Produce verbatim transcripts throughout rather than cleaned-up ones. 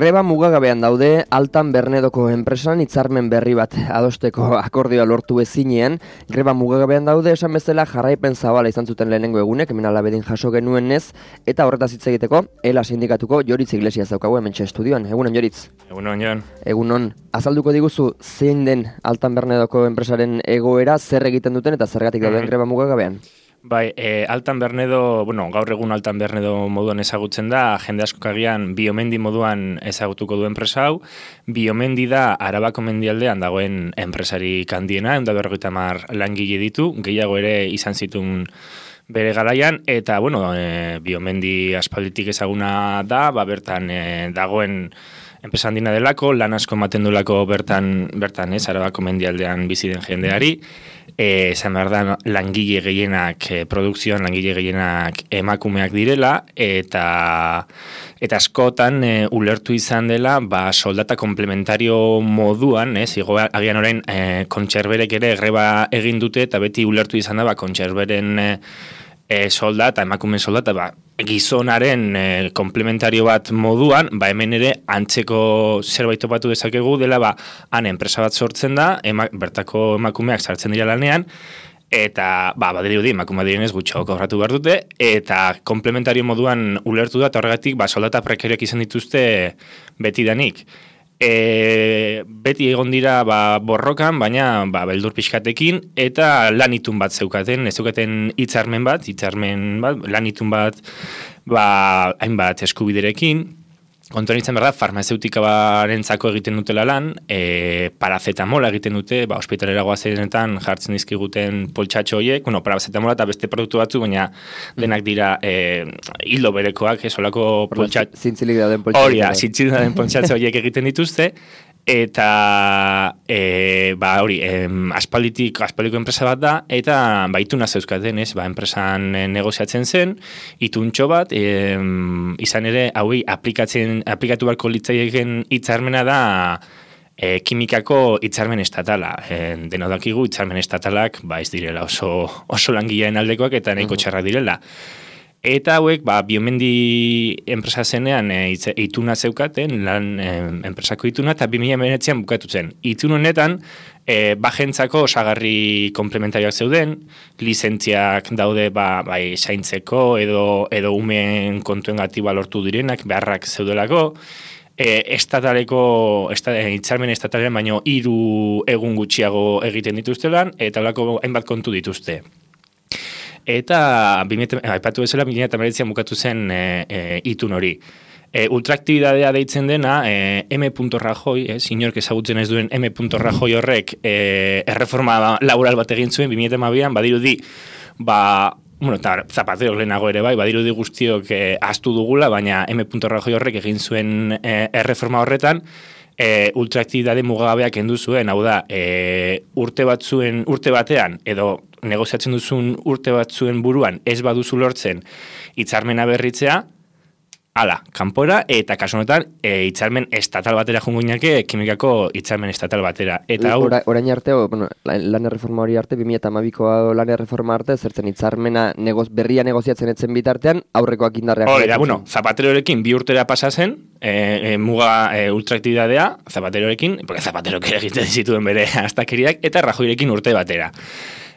Greba mugagabean daude Altan Bernedoko enpresan hitzarmen berri bat adosteko akordioa lortu ezinean. Greba mugagabean daude esan bezala jarraipen zabala izan zuten lehenengo egunek, hemen alabedin jaso genuenez, eta horretaz hitz egiteko Ela sindikatuko Joritz Iglesias daukagu hementxe estudioan. Egunon, Joritz. Egunon, Jon. Egunon. Azalduko diguzu zein den Altan Bernedoko enpresaren egoera, zer egiten duten eta zergatik dauden greba mugagabean? Bai, e, Altan Bernedo, bueno, gaur egun Altan Bernedo moduan ezagutzen da, jende askok agian Biomendi moduan ezagutuko du enpresa hau. Biomendi da Arabako mendialdean dagoen enpresari handiena, ehun eta berrogeita hamar langile ditu, gehiago ere izan zituen bere garaian, eta, bueno, e, Biomendi aspalditik ezaguna da, ba, bertan e, dagoen enpresa handina delako, lan asko ematen dulako bertan, bertan ez, Arabako mendialdean bizi den jendeari. Esan behar da, langile gehienak, e, produkzioan langile gehienak emakumeak direla, eta eta askotan e, ulertu izan dela, ba, soldata komplementario moduan, ez, igo, agian orain e, kontserberek ere greba egin dute, eta beti ulertu izan da, ba, kontserberen e, e, soldata, emakumen soldata, ba, gizonaren e, komplementario bat moduan, ba, hemen ere antzeko zerbait topatu dezakegu dela, ba, han enpresa bat sortzen da, ema, bertako emakumeak sartzen dira lanean, eta, ba, badirudi, emakume direnez gutxo kobratu behar dute, eta komplementario moduan ulertu da, eta horregatik, ba, soldata prekarioak izan dituzte betidanik. E, beti egon dira ba, borrokan, baina ba, beldur pixkatekin, eta lanitun bat zeukaten, ez zeukaten hitzarmen bat, hitzarmen bat, lanitun bat, ba, hainbat eskubiderekin. Kontuan izan behar da, farmazeutika barentzako egiten dutela lan, e, parazetamola egiten dute, ba, ospitalera goazenetan jartzen dizkiguten poltsatxo horiek, bueno, parazetamola eta beste produktu batzu, baina denak dira e, hildo berekoak, esolako poltsatxo. Zintzilik dauden poltsatxo. Hori, zintzilik dauden poltsatxo horiek egiten dituzte, eta e, ba, hori, em, aspalditik, aspaldiko enpresa bat da, eta ba, ituna zeuzkaten, ez, ba, enpresan e, negoziatzen zen, ituntxo bat, em, izan ere, hauei aplikatzen aplikatu barko litzaieken hitzarmena da e, kimikako hitzarmen estatala. E, dena dakigu hitzarmen estatalak ba ez direla oso oso langileen aldekoak eta nahiko txarrak direla. Eta hauek ba Biomendi enpresa zenean e, ituna zeukaten, lan e, enpresako ituna, eta bi mila hemeretzian bukatu zen. Itun honetan e, bajentzako osagarri komplementarioak zeuden, lizentziak daude ba, bai zaintzeko edo edo umeen kontuengatik lortu direnak, beharrak zeudelako, e, estataleko esta, e, hitzarmen estatalen baino hiru egun gutxiago egiten dituztelan, eta holako hainbat kontu dituzte. Eta aipatu bezala bi mila hemeretzian bukatu zen e, e, itun hori. E, ultraaktibitatea deitzen dena, e, M. Rajoy, eh, inork ezagutzen ez duen M. Rajoy horrek e, erreforma laboral bat egin zuen bi mila hamabian, badirudi, ba, bueno, eta Zapatero lehenago ere bai, badirudi guztiok e, ahaztu dugula, baina M. Rajoy horrek egin zuen e, erreforma horretan, e, ultraaktibitate mugagabeak kendu zuen, hau da, e, urte batzuen, urte batean, edo negoziatzen duzun urte batzuen buruan ez baduzu lortzen hitzarmena berritzea, ala, kanpora, eta kasu honetan e, hitzarmen estatal batera joango ginateke, kimikako hitzarmen estatal batera. Eta hau, Ora, orain arte, o, bueno, lan erreforma hori arte, bi mila hamabiko lan erreforma arte, zertzen hitzarmena negoz, berria negoziatzen etzen bitartean, aurrekoak indarrean. Hori da, bueno, Zapaterorekin bi urtera pasa zen, e, e, muga e, ultraaktibitatea, Zapaterorekin, porque Zapaterok ere egiten zituen bere astakeriak, eta Rajoyrekin urte batera.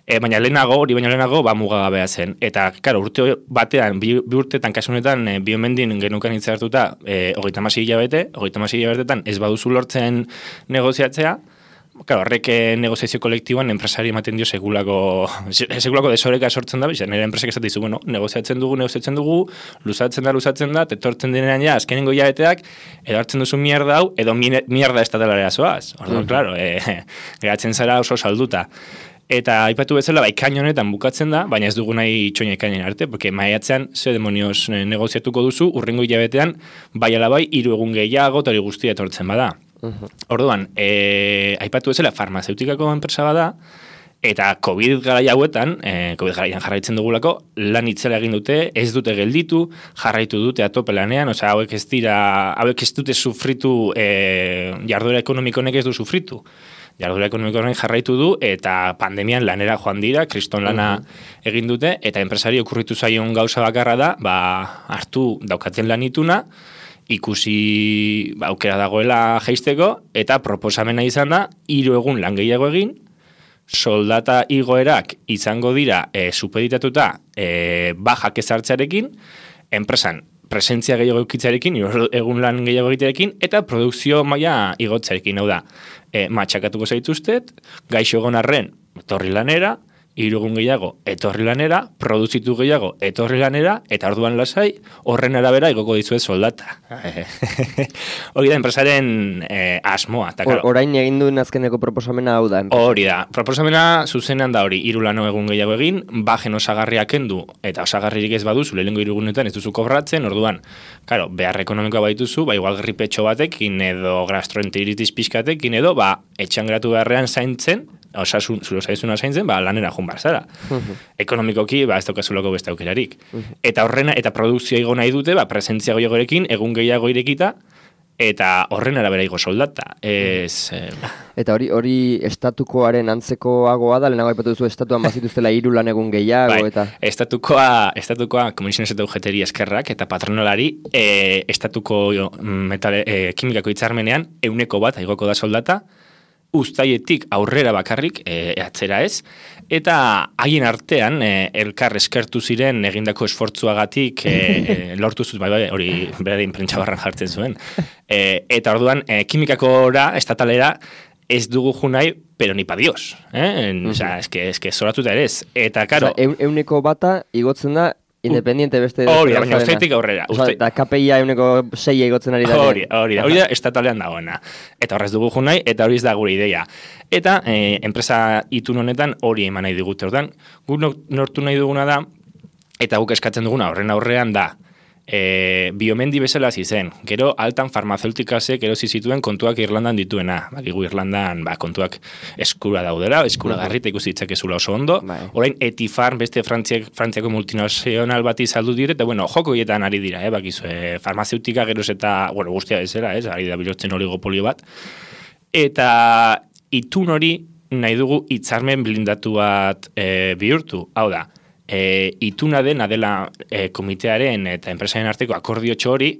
E, baina lehenago, hori baina lehenago, ba, mugagabea zen. Eta, karo, urte batean, bi, bi urtetan, kasu honetan, e, Biomendin genukan hitza hartuta, e, hogeita hamasei hilabete, hogeita hamasei hilabetetan ez baduzu lortzen negoziatzea, karo, horrek negoziazio kolektiboan enpresari ematen dio segulako, segulako desoreka sortzen da, bizan, nire enpresak esaten dizu, bueno, negoziatzen dugu, negoziatzen dugu, luzatzen da, luzatzen da, tetortzen denean ja, azkenengo hilabeteak, edo hartzen duzu mierda hau, edo mierda estatalarea zoaz. Orduan, mm. Claro, e, geratzen zara oso salduta. Eta aipatu bezala, ba, ikain honetan bukatzen da, baina ez dugu nahi itxoina ikainen arte, porque maiatzean ze demonioz negoziatuko duzu, urrengo hilabetean, bai alabai, hiru egun gehiago, eta hori guztia etortzen bada. Uh-huh. Orduan, e, aipatu bezala, farmazeutikako enpresa bada, eta COVID garai hauetan, e, COVID garaian jarraitzen dugulako, lan itzela egin dute, ez dute gelditu, jarraitu dute atope lanean, osea, hauek ez dira, hauek ez dute sufritu, e, jarduera ekonomiko honek ez du sufritu. Jarduera ekonomikoaren jarraitu du, eta pandemian lanera joan dira, kriston lana egin dute, eta enpresari okurritu zaion gauza bakarra da, ba, hartu daukaten lanituna, ikusi ba, aukera dagoela jaisteko, eta proposamena izan da, hiru egun lan gehiago egin, soldata igoerak izango dira e, supeditatuta e, bajak ezartzearekin, enpresan presentzia gehiago eukitzarekin, egun lan gehiago egitearekin, eta produkzio maila igotzarekin, hau da, e, matxakatuko zaituztet, gaixo egon arren, etorri lanera, hiru egun gehiago, etorri lanera, produzitu gehiago, etorri lanera, eta orduan lasai, horren arabera igoko dizuet soldata. Hori da, enpresaren eh, asmoa. Ta, Or, orain egin duen azkeneko proposamena hau da. Hori da, proposamena zuzenean da hori, hiru lano egun gehiago egin, bajen osagarriak kendu, eta osagarririk ez baduzu, lehenengo hiru egunetan ez duzu kobratzen, orduan, claro, behar ekonomikoa baituzu, ba, igual gripetxo batekin, edo gastroenteritis pixkatekin, edo, ba, etxan geratu beharrean zaintzen, osasun, zure osaizuna zaintzen, ba, lanera joan bar zara. Uh-huh. Ekonomikoki, ba, ez daukazulako beste aukerarik. Uh-huh. Eta horrena, eta produkzioa igo nahi dute, ba, presentzia gehiagorekin, egun gehiago irekita, eta horren arabera igo soldata. Ez, eh... Eta hori hori estatukoaren antzekoagoa da, lehenago aipatu duzu estatuan bazituztela hiru lan egun gehiago, bai, eta... Estatukoa, estatukoa Comisiones eta U G T-ri eskerrak, eta patronalari, e, estatuko metale, e, kimikako hitzarmenean, euneko bat igoko da soldata, uztaietik aurrera bakarrik, e, atzera ez, eta haien artean e, elkar eskertu ziren egindako esfortzuagatik e, e, lortu zut, bai, bai, hori berain prentxabarran jartzen zuen. E, eta orduan, e, kimikakora, estatalera, ez dugu junai, pero ni pa Dios. Eh? Uh-huh. Osa, eske, eske zoratuta ere ez. Eta, karo... Osa, euneko bata igotzen da, independiente beste... Hori da, baina uztaitik aurrera. Osa, eta K P I-a euneko sei egotzen ari da. Hori, hori da, hori da, estatalean dagoena. Eta horrez dugu junai, eta hori ez da gure ideia. Eta, eh, enpresa itun honetan hori eman nahi digute. Ordan, guk nortu nahi duguna da, eta guk eskatzen duguna horren aurrean da, E, biomendi bezala zizen, gero altan farmazeutikasek erosi zituen kontuak Irlandan dituena, bakigu Irlandan ba, kontuak eskura daudela, eskura garrita ikusi ditzakezula oso ondo, orain Etifarm beste Frantziak, Frantziako multinazional bati saldu dire, eta bueno, joko hietan ari dira, eh, bakizu, e, farmazeutika geroz eta, bueno, guztia bezala, ez, ari da bilotzen oligopolio bat, eta itun hori nahi dugu hitzarmen blindatu bat e, bihurtu, hau da, E, ituna dena dela e, komitearen eta enpresaren arteko akordio txori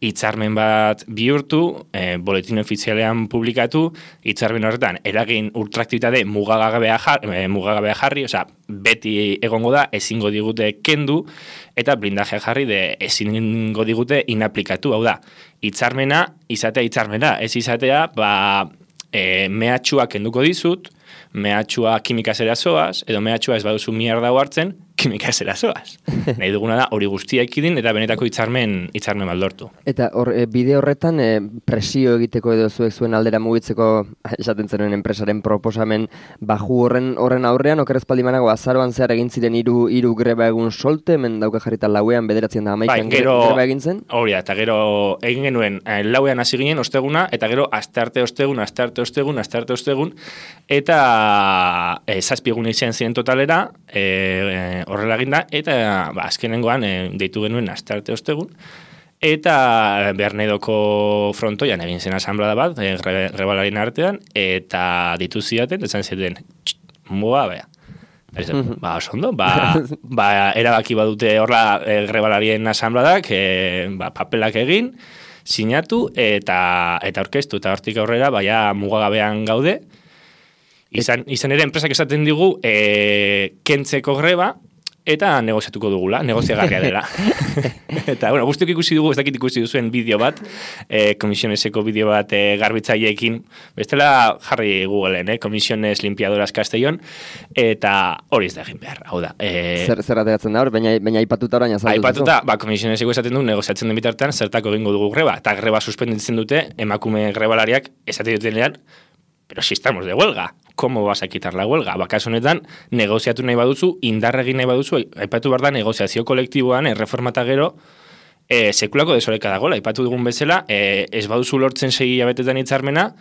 hitzarmen bat bihurtu, e, boletin ofizialean publikatu, hitzarmen horretan eragin ultraaktibitate mugagabea jarri, e, mugagabea jarri, osea, beti egongo da, ezingo digute kendu, eta blindajea jarri de ezingo digute inaplikatu, hau da, hitzarmena, izatea hitzarmena, ez izatea, ba, e, mehatxua kenduko dizut, mehatxua kimikazera zoaz, edo mehatxua ez baduzu mierda hartzen, kimikazera zoaz. Nahi duguna da hori guztia ekidin eta benetako hitzarmen hitzarmen baldortu. Eta hor, e, bide horretan e, presio egiteko edo zuek zuen aldera mugitzeko esaten zenuen enpresaren proposamen baju horren horren aurrean, okerrez paldimanago azaroan zehar egin ziren hiru hiru greba egun solte, hemen dauka jarrita lauean bederatzen da hamaikan bai, greba egin zen? Hori da, eta gero egin genuen eh, lauean hasi ginen osteguna, eta gero astearte ostegun, astearte ostegun, astearte ostegun, eta e, zazpi egun izan ziren totalera, e, horrela eginda, eta ba, azkenengoan e, deitu genuen astearte ostegun, eta Bernedoko frontoian egin zen asamblada bat, e, grebalarien artean, eta ditu zidaten, esan zidaten, mua, bea. Ba, oso ondo, ba, ba, erabaki badute horla e, grebalarien asambladak, e, ba, papelak egin, sinatu, eta eta orkestu, eta hortik aurrera, baia mugagabean gaude, izan, izan ere enpresak esaten digu, e, kentzeko greba, eta negoziatuko dugula, negoziagarria dela. Eta, bueno, guztiok ikusi dugu, ez dakit ikusi duzuen bideo bat, eh, Comisioneseko bideo bat eh, garbitzaileekin, bestela jarri Googleen, eh, Comisiones Limpiadoras Castellón, eta hori ez da egin behar, hau da. Eh, zer zer ateratzen da hor, baina, baina aipatuta orain azaldu. Aipatuta, ba, Comisioneseko esaten du, negoziatzen den bitartean, zertako egingo dugu greba, eta greba suspenditzen dute, emakume grebalariak, esaten dutenean, pero si estamos de huelga, ¿cómo vas a quitar la huelga? Bakas honetan, negoziatu nahi baduzu, indarregin nahi baduzu, aipatu behar da negoziazio kolektiboan, erreformata gero, e, sekulako desoreka dagoela, aipatu dugun bezala, e, ez baduzu lortzen segi abetetan hitzarmena,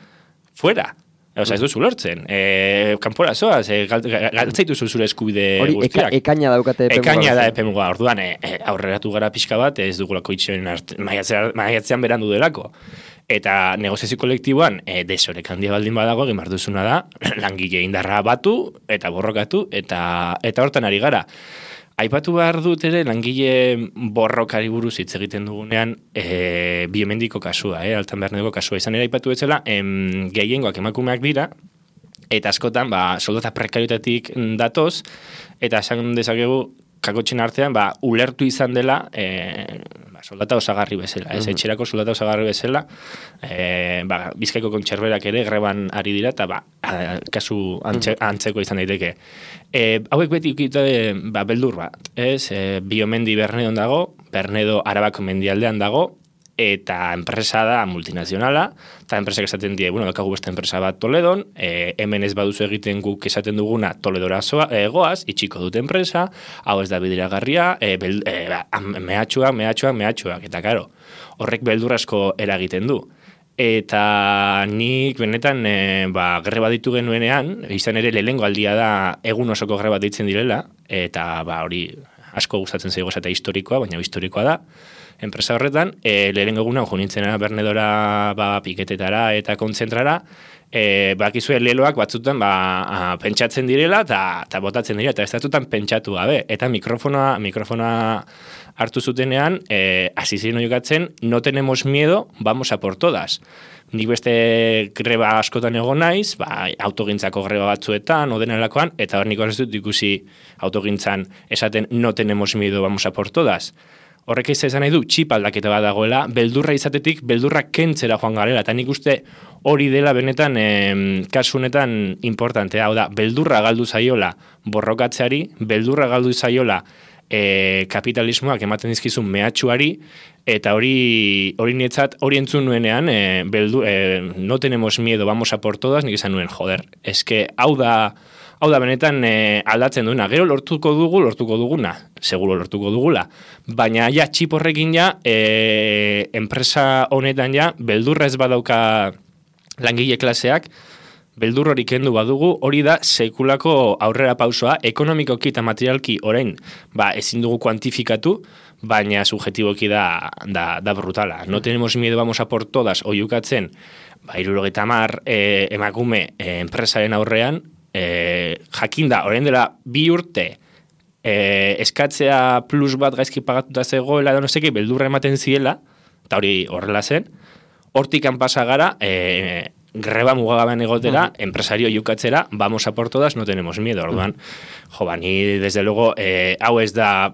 fuera. Osa, ez duzu lortzen. E, kanpora zoaz, e, galtzaituzu zure eskubide guztiak. Hori, ekaina daukate epemuga. Ekaina da epemuga, orduan, e, e, aurreratu gara pixka bat, ez dugulako itxoen maiatzean berandu delako. Eta negoziazio kolektiboan, e, desorek handia baldin badago, egin behar duzuna da, langile indarra batu, eta borrokatu, eta eta hortan ari gara. Aipatu behar dut ere, langile borrokari buruz hitz egiten dugunean, e, biomendiko kasua, e, Altan Bernedoko kasua. Izan ere aipatu betzela, em, gehiengoak emakumeak dira, eta askotan, ba, soldata prekariotatik datoz, eta esan dezakegu, kakotxen artean, ba, ulertu izan dela, e, ba, soldata osagarri bezala, ez, etxerako soldata osagarri bezala, e, ba, Bizkaiko kontxerberak ere greban ari dira, eta ba, a, kasu antxe, antzeko izan daiteke. E, hauek beti ukite, ba, beldur bat, ez, e, Biomendi Bernedon dago, Bernedo Arabako mendialdean dago, eta enpresa da multinazionala, eta enpresak esaten die, bueno, dakagu beste enpresa bat Toledon, e, hemen ez baduzu egiten guk esaten duguna Toledora zoa, e, goaz, itxiko dute enpresa, hau ez da bideragarria, e, bel, e, mehatxuak, mehatxuak, mehatxuak, eta karo, horrek beldurrasko eragiten du. Eta nik benetan e, ba, greba ditu genuenean, izan ere lehengo aldia da egun osoko greba ditzen direla, eta ba, hori asko gustatzen zaigu eta historikoa, baina historikoa da, enpresa horretan, e, lehen eguna jo nintzena Bernedora ba, piketetara eta kontzentrara, e, bakizue leloak batzutan ba, a, pentsatzen direla eta botatzen dira, eta ez datutan pentsatu gabe. Eta mikrofonoa, mikrofonoa hartu zutenean, e, hasi ziren jokatzen, no tenemos miedo, vamos a por todas. Nik beste greba askotan egon naiz, ba, autogintzako greba batzuetan, odenalakoan, eta hor niko ez dut ikusi autogintzan esaten no tenemos miedo, vamos a por todas. Horrek ez izan nahi du, txip aldaketa bat dagoela, beldurra izatetik, beldurra kentzera joan garela, eta nik uste hori dela benetan, em, kasu honetan importantea, hau da, beldurra galdu zaiola borrokatzeari, beldurra galdu zaiola e, kapitalismoak ematen dizkizun mehatxuari, eta hori hori nietzat, hori entzun nuenean, e, beldu, e, no tenemos miedo, vamos a por todas, nik izan nuen, joder, eske hau da, Hau da, benetan e, aldatzen duena. Gero lortuko dugu, lortuko duguna. Seguro lortuko dugula. Baina ja, txip horrekin ja, e, enpresa honetan ja, beldurra ez badauka langile klaseak, beldur hori kendu badugu, hori da sekulako aurrera pausoa, ekonomikoki eta materialki orain, ba, ezin dugu kuantifikatu, baina subjetiboki da, da, da brutala. No tenemos miedo, vamos a por todas, oiukatzen, ba, hirurogeita hamar e, emakume e, enpresaren aurrean, E, jakinda, orain dela bi urte e, eskatzea plus bat gaizki pagatuta zegoela edo no seki, beldurra ematen ziela, eta hori horrela zen, hortikan pasa gara, e, greba mugagabean egotera, uh-huh. enpresario jukatzera, vamos a por todas, no tenemos miedo, orduan, uh-huh. jo, ba, ni desde luego, e, hau ez da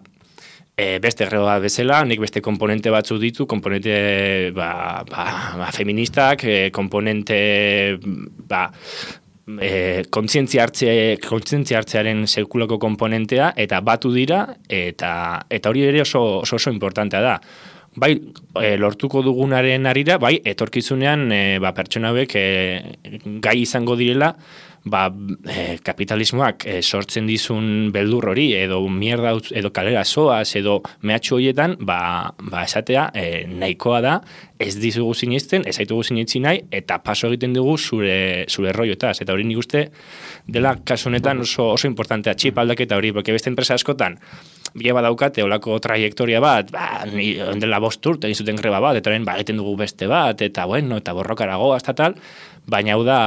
e, beste greba bezala, nik beste komponente batzu ditu, komponente ba, ba, ba, feministak, e, komponente ba, E, kontzientzia hartze, kontzientzia hartzearen sekulako komponentea eta batu dira eta eta hori ere oso oso, oso importantea da. Bai, e, lortuko dugunaren arira, bai, etorkizunean e, ba, pertsona hauek e, gai izango direla, ba, e, kapitalismoak e, sortzen dizun beldur hori, edo mierda, edo kalera soaz, edo mehatxu horietan, ba, ba esatea, e, nahikoa da, ez dizugu sinisten, ez haitugu sinetzi nahi, eta paso egiten dugu zure, zure roiotaz. Eta hori nik uste dela kasu honetan oso, oso importantea, txip aldaketa hori, porque beste enpresa askotan, bila badaukate, olako trajektoria bat, ba, dela bost urte, egin zuten greba bat, eta orain, ba, egiten dugu beste bat, eta bueno, eta borrokarago, hasta tal, baina hau da,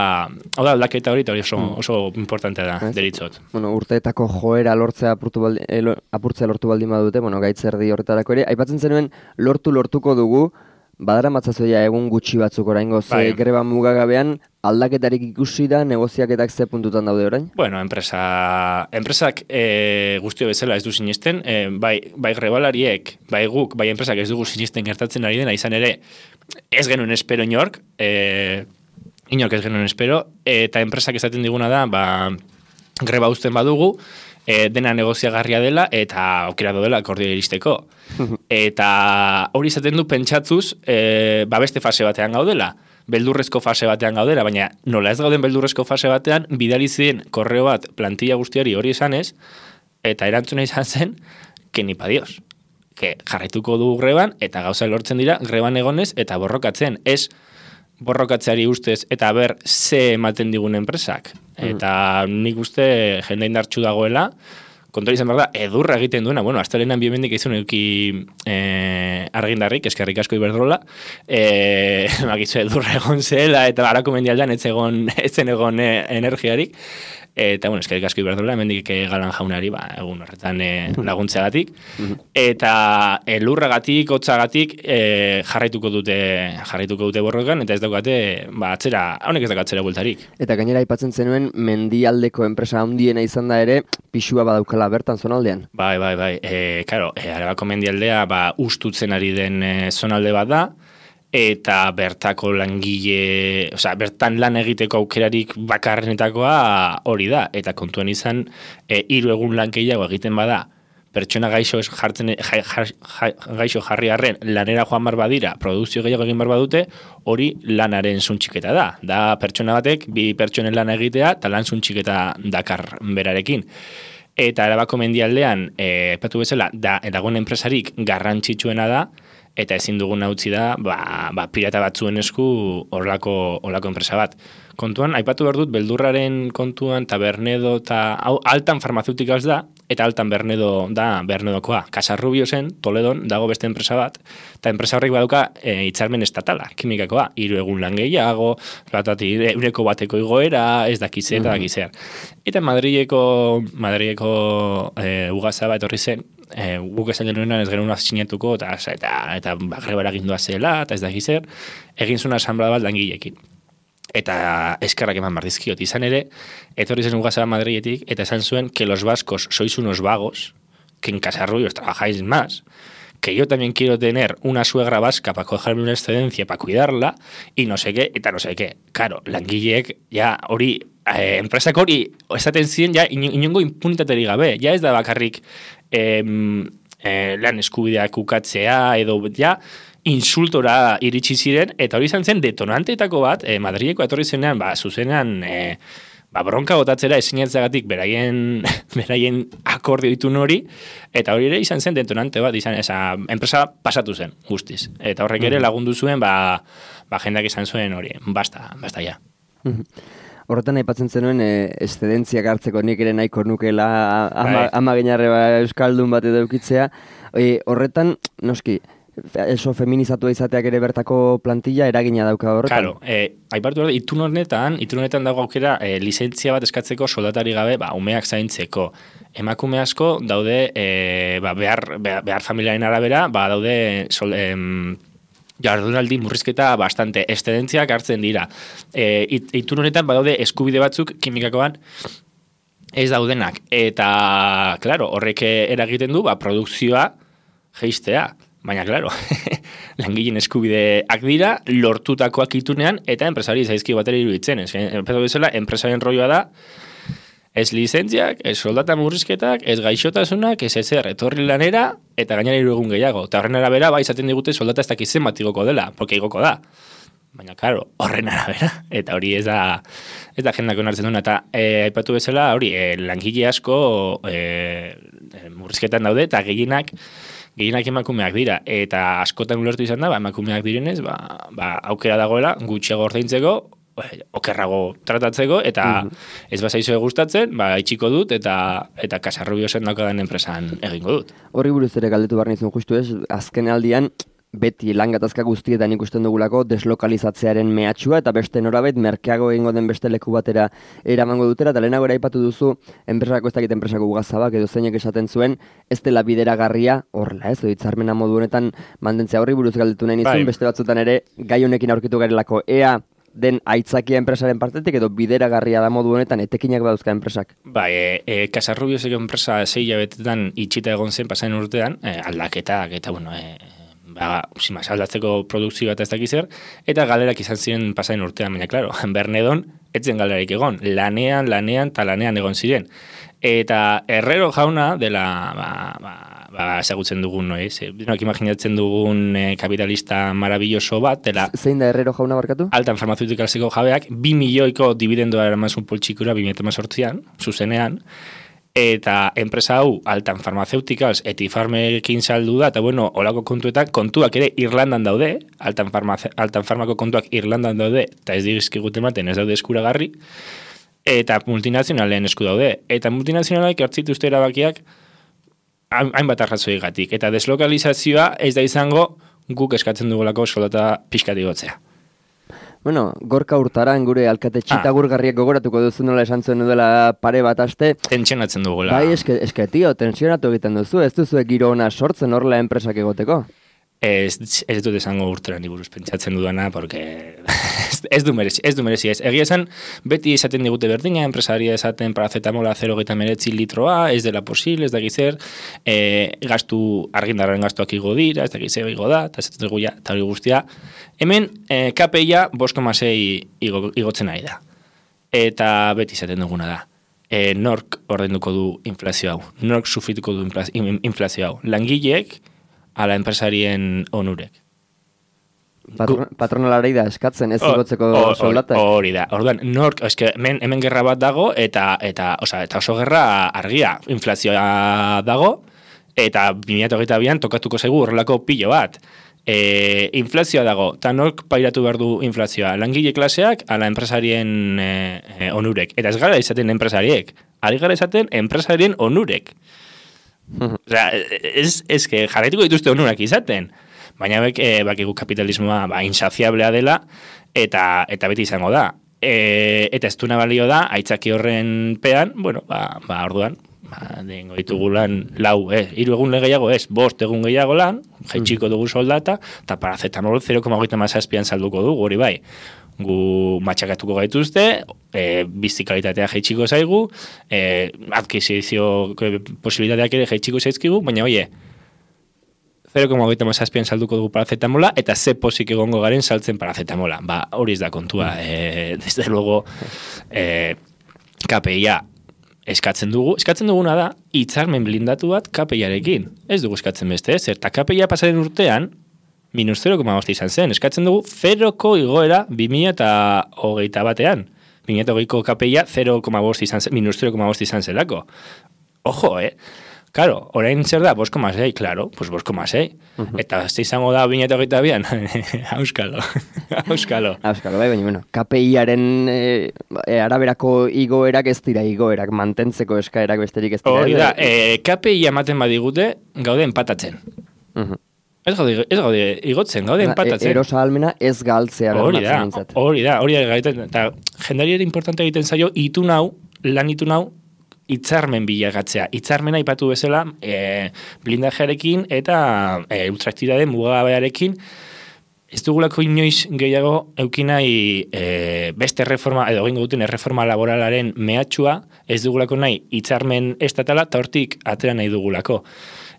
hau da aldaketa hori, eta hori oso, oso importantea da, deritzot. Bueno, urteetako joera lortzea apurtu baldi, eh, apurtzea lortu baldin badute, bueno, gaitzerdi horretarako ere, aipatzen zenuen lortu lortuko dugu, badara matzazoia egun gutxi batzuk oraingo, ze bai. Greba mugagabean aldaketarik ikusi da, negoziaketak ze puntutan daude orain? Bueno, enpresa, enpresak e, guztio bezala ez du sinisten, e, bai, bai grebalariek, bai guk, bai enpresak ez dugu sinisten gertatzen ari dena, izan ere, ez genuen espero inork, e, inork ez genuen espero, eta enpresak esaten diguna da, ba, greba uzten badugu, E, dena negoziagarria dela eta aukera dela akordio iristeko. Eta hori izaten du pentsatuz e, ba beste fase batean gaudela. Beldurrezko fase batean gaudela, baina nola ez gauden beldurrezko fase batean, bidali ziren korreo bat plantilla guztiari hori esanez, eta erantzuna izan zen, que ni pa Dios. Que jarraituko du greban, eta gauza lortzen dira, greban egonez, eta borrokatzen. Ez borrokatzeari ustez, eta ber, ze ematen digun enpresak. Eta nik uste jende indartxu dagoela, kontori izan behar da, edurra egiten duena, bueno, astelenan biemendik izun euki eh, argindarrik, eskerrik asko Iberdrola, eh, bakizu edurra egon zela, eta harako mendialdean ez egon, etzen egon eh, energiarik, eta, bueno, eskerrik asko iberdrola, hemendik Galan jaunari, ba, egun horretan e, laguntzeagatik, eta e, lurragatik, hotzagatik e, jarraituko dute jarraituko dute borrokan, eta ez daukate, ba, atzera, honek ez dauk atzera bueltarik. Eta gainera aipatzen zenuen, mendialdeko enpresa handiena izan da ere, pisua badaukala bertan zonaldean. Bai, bai, bai, e, karo, e, Arabako mendialdea, ba, ustutzen ari den e, zonalde bat da, eta bertako langile, osea, bertan lan egiteko aukerarik bakarrenetakoa hori da, eta kontuan izan, e, hiru egun lan gehiago egiten bada, pertsona gaixo jartzen ja, ja, ja, gaixo jarri arren lanera joan bar badira, produkzio gehiago egin bar badute, hori lanaren suntxiketa da. Da pertsona batek bi pertsonen lan egitea eta lan suntxiketa dakar berarekin. Eta Arabako mendialdean, eh, patu bezala, da dagoen enpresarik garrantzitsuena da, eta ezin dugun utzi da, ba, ba, pirata batzuen esku horlako horlako enpresa bat. Kontuan, aipatu behar dut, beldurraren kontuan, eta Bernedo, eta hau, altan farmazeutikaz da, eta altan Bernedo da Bernedokoa. Casarrubiosen, Toledon, dago beste enpresa bat, eta enpresa horrek baduka e, hitzarmen estatala, kimikakoa, hiru egun lan gehiago, batati, eureko bateko igoera, ez dakizer, eta dakizer. Eta Madrileko, Madrileko e, ugazaba etorri zen, e, guk esan genuenan ez genuen sinatuko, eta, eta, eta bagrebara gindua zela, eta ez dakizer, egin zuen asamblea bat langileekin. Eta eskerrak eman bardizkiot. Izan ere, etorri zen ugazaba Madriletik, eta esan zuen que los vascos sois unos vagos, que en Casarrubios trabajáis más, que yo también quiero tener una suegra vasca para cogerme una excedencia, para cuidarla, y no sé qué, eta no sé qué. Claro, langileek, ja, hori, eh, enpresak hori, esaten ziren, ja, inongo impunitaterik gabe, ja ez da bakarrik eh, eh, lan eskubideak ukatzea, edo, ja, insultora iritsi ziren, eta hori izan zen detonanteetako bat, eh, Madrileko etorri zenean, ba, zuzenean, eh, ba, bronka botatzera esinetzeagatik beraien, beraien akordio ditun hori, eta hori ere izan zen detonante bat, izan, esa, enpresa pasatu zen, guztiz. Eta horrek ere lagundu zuen, ba, ba jendak izan zuen hori, basta, basta ja. Horretan aipatzen zenuen, e, eszedentziak hartzeko nik ere nahiko nukela ama, ama genarre ba, euskaldun bat edo eukitzea. E, horretan, noski, eso feminizatua izateak ere bertako plantilla eragina dauka horretan. Claro, eh, aipartu behar, itun honetan, itun honetan dago aukera eh, lizentzia bat eskatzeko soldatari gabe, ba, umeak zaintzeko. Emakume asko daude, eh, ba, behar, behar, behar familiaren arabera, ba, daude sol, em, jardunaldi murrizketa bastante eszedentziak hartzen dira. E, it, itun honetan badaude eskubide batzuk kimikakoan ez daudenak. Eta, claro, horrek eragiten du, ba, produkzioa geistea. Baina, claro, langileen eskubideak dira, lortutakoak itunean, eta enpresari zaizki batera iruditzen. Enpresa bezala, enpresaren rolloa da, ez lizentziak, ez soldata murrizketak, ez gaixotasunak, ez ezer, etorri lanera, eta gainera hiru egun gehiago. Eta horren arabera, ba, izaten digute soldata ez dakizen bat igoko dela, porque igoko da. Baina, claro, horren arabera, eta hori ez da, ez da jendak onartzen duna. Eta e, aipatu bezala, hori, e, langile asko e, murrizketan daude, eta gehienak, gehienak emakumeak dira, eta askotan ulertu izan da, ba, emakumeak direnez, ba, ba, aukera dagoela, gutxiago ordaintzeko, okerrago tratatzeko, eta mm-hmm. ez bazaizue gustatzen, ba, itxiko dut, eta eta Casarrubiosen daukadan enpresan egingo dut. Horri buruz ere galdetu behar nizun justu ez, azken aldian, beti lan gatazka guztietan ikusten dugulako deslokalizatzearen mehatxua eta beste norabait merkeago egingo den beste leku batera eramango dutera, eta lehenago aipatu duzu enpresako ez dakit enpresako ugazabak edo zeinek esaten zuen ez dela bideragarria horrela ez, hitzarmena modu honetan mantentzea. Horri buruz galdetu nahi nizun, beste batzutan ere gai honekin aurkitu garelako, ea den aitzakia enpresaren partetik edo bideragarria da modu honetan etekinak badauzka enpresak. Bai, e, e, Casarrubioseko enpresa sei hilabetetan itxita egon zen pasain urtean, e, aldaketak eta bueno, e, ba, simaz, aldatzeko produkzio bat ez dakizer, eta galerak izan ziren pasain urtean, baina, klaro, Bernedon etzen galerik egon, lanean, lanean, eta lanean egon ziren. Eta Herrero jauna dela, ba, ba, ba, ezagutzen dugun, no, ez? Denok imaginatzen dugun eh, kapitalista maravilloso bat, dela... Zein da Herrero jauna barkatu? Altan farmazeuticalseko jabeak, bi milioiko dividendoa eramazun poltsikura bi mila hemezortzian, zuzenean, eta enpresa hau Altan Pharmaceuticals Etifarmekin saldu da, eta bueno, olako kontuetak, kontuak ere Irlandan daude, Altan, farmace, Altan Farmako kontuak Irlandan daude, eta ez dizkiguten ematen ez daude eskuragarri, eta multinazionalen esku daude. Eta multinazionalak hartzituzte erabakiak hainbat arrazoigatik, eta deslokalizazioa ez da izango guk eskatzen dugulako soldata pixkat igotzea. Bueno, Gorka Hurtaran gure alkate txitagurgarriak gogoratuko duzu nola esan zuen dela pare bat aste. Tentsionatzen dugula. Bai, eske, eske tio, tensionatu egiten duzu, ez duzu giro ona sortzen horrela enpresak egoteko? Ez, ez dut esango Hurtarani buruz pentsatzen dudana, porque ez, ez du merezi, ez du merezi ez. Egia esan, beti esaten digute berdina, enpresaria esaten parazetamola zero gehieta meretzi litroa, ez dela posible, ez da gizer, e, gastu, argindarren gastuak igo dira, ez da gizer igo da, eta ez dugu ja, eta hori guztia. Hemen, e, K P I-a bost koma sei igo, igotzen ari da. Eta beti esaten duguna da. E, nork ordenduko du inflazio hau, nork sufrituko du inflazio hau. Langileek, ala enpresarien onurek. Patron, patronalari da eskatzen ez igotzeko soldatak. Hori da. Orduan, nork, eske, hemen, hemen gerra bat dago, eta eta, oza, eta oso gerra argia. Inflazioa dago, eta bi mila hogeita bian tokatuko zaigu horrelako pilo bat. E, inflazioa dago, eta nork pairatu behar du inflazioa. Langile klaseak, ala enpresarien e, e, onurek. Eta ez gara izaten enpresariek. Ari gara izaten enpresarien onurek. Osea, ez, ez que jarraituko dituzte onurak izaten, baina bek, e, bakigu kapitalismoa ba, insaziablea dela, eta eta beti izango da. E, eta ez duna balio da, aitzaki horren pean, bueno, ba, ba orduan, ba, dengo ditugu lan lau, eh, hiru egun gehiago ez, bost egun gehiago lan, jaitsiko dugu soldata, eta paracetamol zero koma hogeita hamazazpian salduko dugu, hori bai. Gu matxakatuko gaituzte, e, bizi kalitatea jaitsiko zaigu, e, adkizizio posibilitateak ere jaitsiko zaizkigu, baina oie, zero koma hogeita hamazazpian salduko dugu parazetamola, eta ze pozik egongo garen saltzen parazetamola. Ba, hori ez da kontua. E, desde luego, e, K P I-a eskatzen dugu. Eskatzen duguna da, hitzarmen blindatu bat K P I-arekin. Ez dugu eskatzen beste, ez? Eta K P I-a pasaren urtean, minus zero koma bost izan zen. Eskatzen dugu zeroko igoera bi mila hogeita batean. bi mila hogeiko K P I-a zero koma bost izan zen, minus zero koma bost izan zelako. Ojo, eh? Claro, orain zer da, bost koma sei, claro, pues bost koma sei. Uh-huh. Eta ez izango da bi mila hogeita bian. Auskalo, auskalo. Auskalo, bai, baina, bueno, K P I-aren e, araberako igoerak ez dira igoerak, mantentzeko eskaerak besterik ez dira. Hori da, e, K P I ematen badigute, gaude empatatzen. Uh-huh. Ez gaude, ez gaude igotzen, gaude empatatzen. Erosa almena ez galtzea. Hori da, hori da, hori da, eta jendari ere importante egiten zaio, itun hau, lan itun hau, hitzarmen bilagatzea. Hitzarmena aipatu bezala, e, blindajearekin eta e, ultraktibidade mugagabearekin, ez dugulako inoiz gehiago eukinai e, beste reforma, edo egingo duten erreforma laboralaren mehatxua, ez dugulako nahi hitzarmen estatala, eta hortik atera nahi dugulako.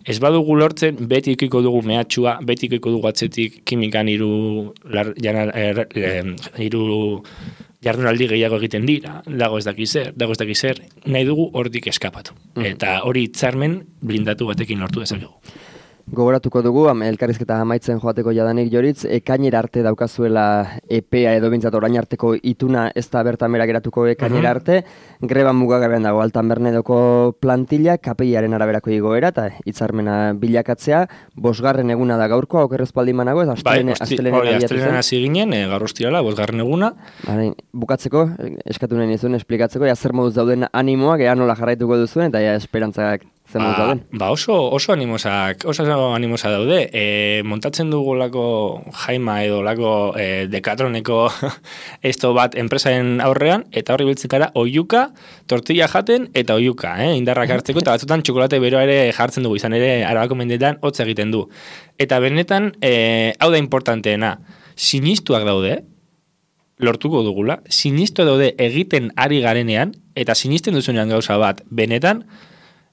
Ez badugu lortzen, beti ikiko dugu mehatxua, beti ikiko dugu atzetik kimikan hiru er, er, jardunaldi gehiago egiten dira, dago ez daki zer, dago ez daki zer, nahi dugu hortik eskapatu. Mm. Eta hori hitzarmen blindatu batekin lortu dezakegu. Gogoratuko dugu, elkarrizketa amaitzen joateko jadanik Joritz, ekainera arte daukazuela epea edo bintzat orain arteko ituna ez da bertamera geratuko ekainera arte, uh-huh. Greba mugagabean dago Altan Bernedoko plantilla, K P I-aren araberako igoera eta hitzarmena bilakatzea, bosgarren eguna da gaurko, okerrez paldimanago, ez astelenen hasi ginen, e, gaur ostirala, bosgarren eguna. Bale, bukatzeko, eskatu nahi nizuen esplikatzeko, ja zer moduz dauden animoak, ea nola jarraituko duzuen, eta ja esperantzak zen moduz dauden. Ba oso, oso animosak, oso animosa daude. E, montatzen dugulako jaima edo lako e, dekatroneko esto bat enpresaren aurrean, eta horri biltzekara oiuka, tortilla jaten eta oiuka, eh? Indarrak hartzeko, eta batzutan txokolate beroa ere jartzen dugu, izan ere Arabako mendetan hotz egiten du. Eta benetan, e, hau da importanteena, sinistuak daude, lortuko dugula, sinistuak daude egiten ari garenean, eta sinisten duzunean gauza bat, benetan,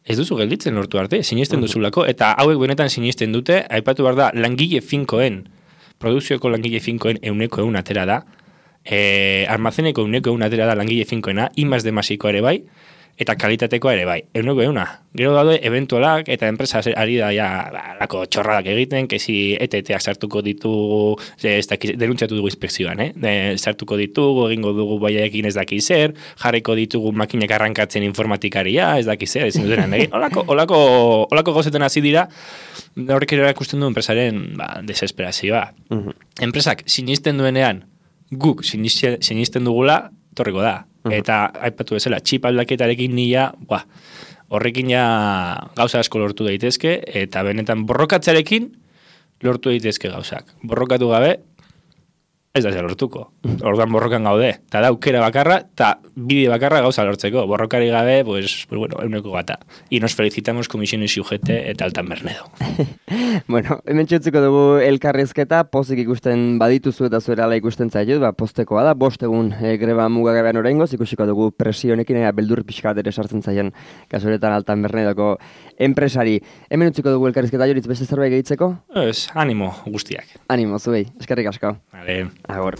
ez duzu gelditzen lortu arte, sinisten duzulako, eta hauek benetan sinisten dute, aipatu behar da, langile finkoen, produkzioko langile finkoen euneko eun atera da, e, almazeneko euneko eun atera da langile finkoena, imaz demasiko ere bai, eta kalitatekoa ere bai, euneko euna. Gero daude, eventualak eta enpresa ari da ja, ba, lako txorradak egiten, kezi E T T-ak sartuko ditugu, ez dakiz, denuntziatu dugu inspekzioan, eh? De, sartuko ditugu, egingo dugu baiaekin ez dakiz zer, jarriko ditugu makinak arrankatzen informatikaria, ez dakiz zer, ezin dutenan egin. Olako, olako, olako gauzetan hasi dira, horrek ere ikusten du enpresaren ba, desesperazioa. Uh-huh. Enpresak sinisten duenean, guk sinisten dugula, torriko da. Eta, aipatu bezala, txip aldaketarekin nila, buah, horrekin ja gauza asko lortu daitezke, eta benetan borrokatzarekin lortu daitezke gauzak. Borrokatu gabe, ez da lortuko. Orduan borrokan gaude. Eta da aukera bakarra, eta bide bakarra gauza lortzeko. Borrokari gabe, pues, pues bueno, euneko gata. Y nos felicitamos Comisiones U G T eta Altan Bernedo. Bueno, hemen txutziko dugu elkarrizketa, pozik ikusten badituzu eta zuerala ikusten zaitut, ba, postekoa da, bost egun e, greba mugagabean oraingoz, ikusiko dugu presionekin, ea beldur pixka ere sartzen zaien kasuretan Altan Bernedoko enpresari. Hemen utziko dugu elkarrizketa, Joritz, beste zerbait gehitzeko? Ez, animo guztiak. Animo, zuei, eskerrik asko. Vale. Agor.